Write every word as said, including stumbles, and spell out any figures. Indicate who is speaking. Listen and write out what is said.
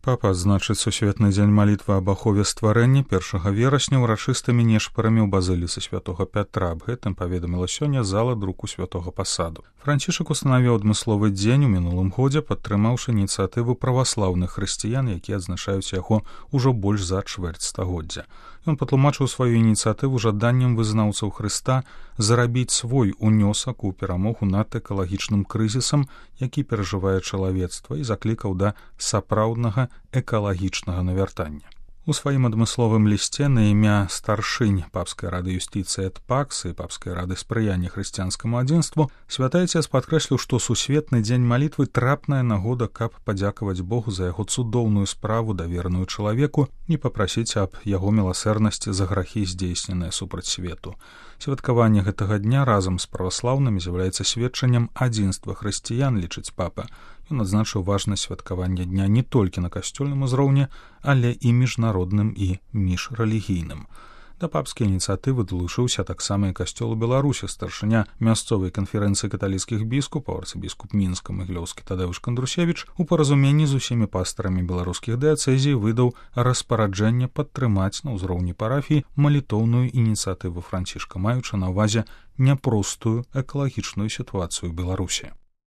Speaker 1: Папа адзначыць сусветны дзень малітвы аб ахове стварэння першага верасня ўрачыстымі нешпарамі ў базыліцы святога Пятра. Аб гэтым паведаміла сёння зала друку святога пасаду. Францішак устанавіў адмысловы дзень у мінулым годзе, падтрымаўшы ініцыятыву праваслаўных хрысціян, якія адзначаюць яго ўжо больш за чвэрць стагоддзя. Ён патлумачыў сваю ініцыятыву жаданнем вызнаўцаў Хрыста зарабіць свой унёсак у перамогу над экалагічным крызісам, які перажывае чалавецтва, і заклікаў да сапраўднага экалагічнага навяртання. У сваім адмысловым лісце на імя старшынь папскай рады юстыцыі эт пакс і папскай рады спрыяння хрысціянскаму адзінству святы Айцец падкрэсліў, што сусветны дзень малітвы трапная нагода, каб падзякаваць Богу за яго цудоўную справу, давераную чалавеку, і папрасіць аб яго міласэрнасці за грахі, здзейсненыя супраць свету. Святкаванне гэтага дня разам з праваслаўнымі з'яўляецца сведчаннем адзінства хрысціян, лічыць папа. Ён адзначыў важнасць святкавання дня не толькі на касцёльным узроўні, але і міжнародным і міжрэлігійным. Да папскай ініцыятывы далучыўся таксама і касцёл у Беларусі. Старшыня мясцовай канферэнцыі каталіцкіх біскупаў, арцыбіскуп Мінска Магілёўскі Тадеуш Кандрусевіч у паразуменні з усімі пастарамі беларускіх дыяцэзій выдаў распараджэнне падтрымаць на ўзроўні парафіі малітоўную ініцыятыву Францішка, маючы на ўвазе няпростую экалагічную сітуацыю ў Беларусі.